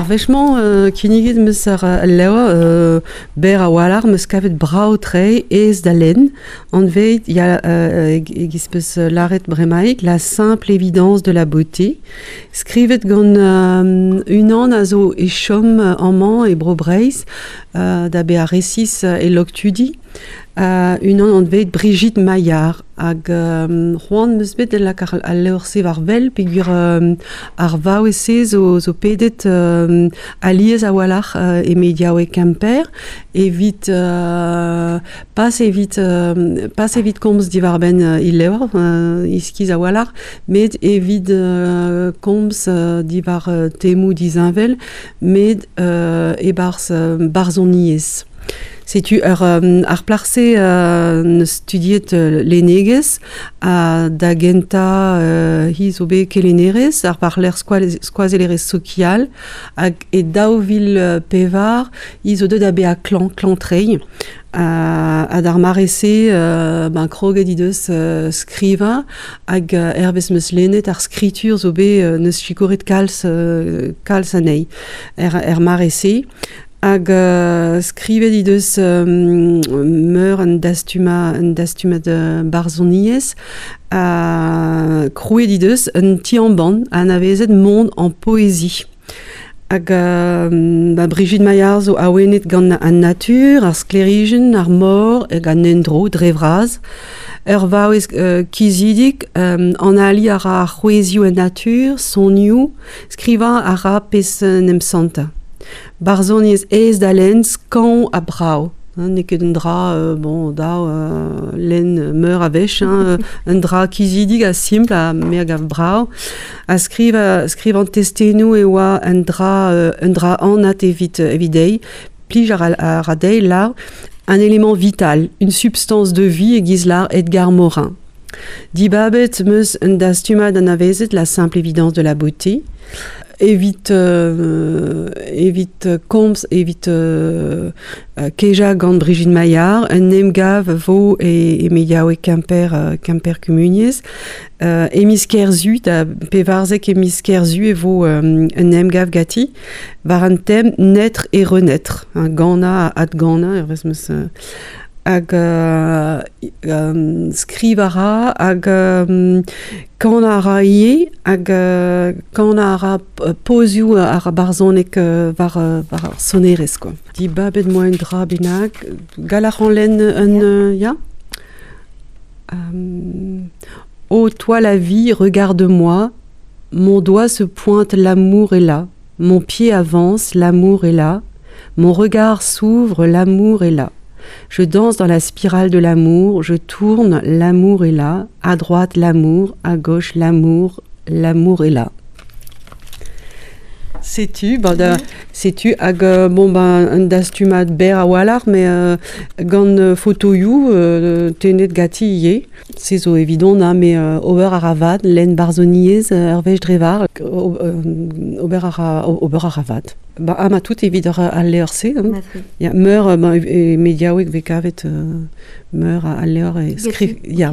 Ar wech-mañ kinniget 'm eus ar al levr berr a-walc'h, 'm eus kavet brav-tre, aes da lenn. Anvet ya e-giz 'peus lâret bremaik, La simple évidence de la beauté. Skrivet gant unan a zo e chom amañ e Bro-Breizh, da bezañ resis e Loktudi. Unan anvet Brigitte Maillard hag c'hoant 'm eus bet da lakaat al levr-se war wel peogwir ar vaouez-se zo pedet alies a-walc'h e mediaoueg Kemper evit pas evit pas evit komz diwar-benn he levr iskis a-walc'h met evit komz diwar temoù disheñvel met e-barzh barzhoniezh. Setu ur ar plac'h-se 'neus studiet lennegezh ha da gentañ hi zo bet kelennerez ar war-lerc'h skoazellerez sokial hag e 2004 hi zo deuet da bezañ klañv, klañv-treiñ. Ha d'ar mare-se ben kroget he deus skrivañ hag hervez 'm eus lennet ar skritur zo bet 'neus sikouret kalz kalz anezhi er mare-se. Hag skrivet he deus meur un dastumad barzhoniezh ha krouet he deus un ti-embann anavezet Monde en poésie. Hag ba Brigitte Maillard zo awenet gant an natur, ar sklêrijenn, ar mor hag an endro dre vras. Ur vaouez kizidik, analiñ a ra c'hwezhioù en natur, sonioù, skrivañ a ra pezh en em santañ. Barzhoniezh aes da lenn, skañv ha brav. N'eo ket un dra bon dav lenn meur a wech, hein, un dra kizidik ha simpl ha me a gav brav. Ha skrivañ skrivañ testennoù e oa un dra anat evit evit dezhi. Plij a ra dezhi lâr un élément vital, une substance de vie e-giz lâr Edgar Morin. Dibabet 'm eus un dastumad anavezet, La simple évidence de la beauté, evit evit komz, evit kejañ gant Brigitte Maillard. Un emgav vo e mediaoueg Kemper, Kemper Kumuniezh. E miz Kerzu, da pevarzek e miz Kerzu e vo un emgav ganti war an tem Naître et renaître, ganañ ha adganañ hervez 'm eus hag skrivañ a ra hag kanañ a ra ivez hag kanañ a ra pozioù ar barzhoneg war war ar sonerezh kwa. Dibabet 'moa un dra bennak, gall a ran lenn un ya? Oh toi la vie, regarde-moi, mon doigt se pointe, l'amour est là, mon pied avance, l'amour est là, mon regard s'ouvre, l'amour est là. Je danse dans la spirale de l'amour, je tourne, l'amour est là, à droite l'amour, à gauche l'amour, l'amour est là. Setu, ba da, setu hag bon ben un dastumad berr a-walc'h mais gant fotoioù tennet ganti ivez. Se zo evidon hein, mais ober a ra vat, lenn barzhoniezh ur wech dre var, ober a ra ober a ra vat. Ba ha ma tout evit al levr-se. Hein. Ya, meur ben, e mediaoueg vez kavet meur a levr e skriv. Ya.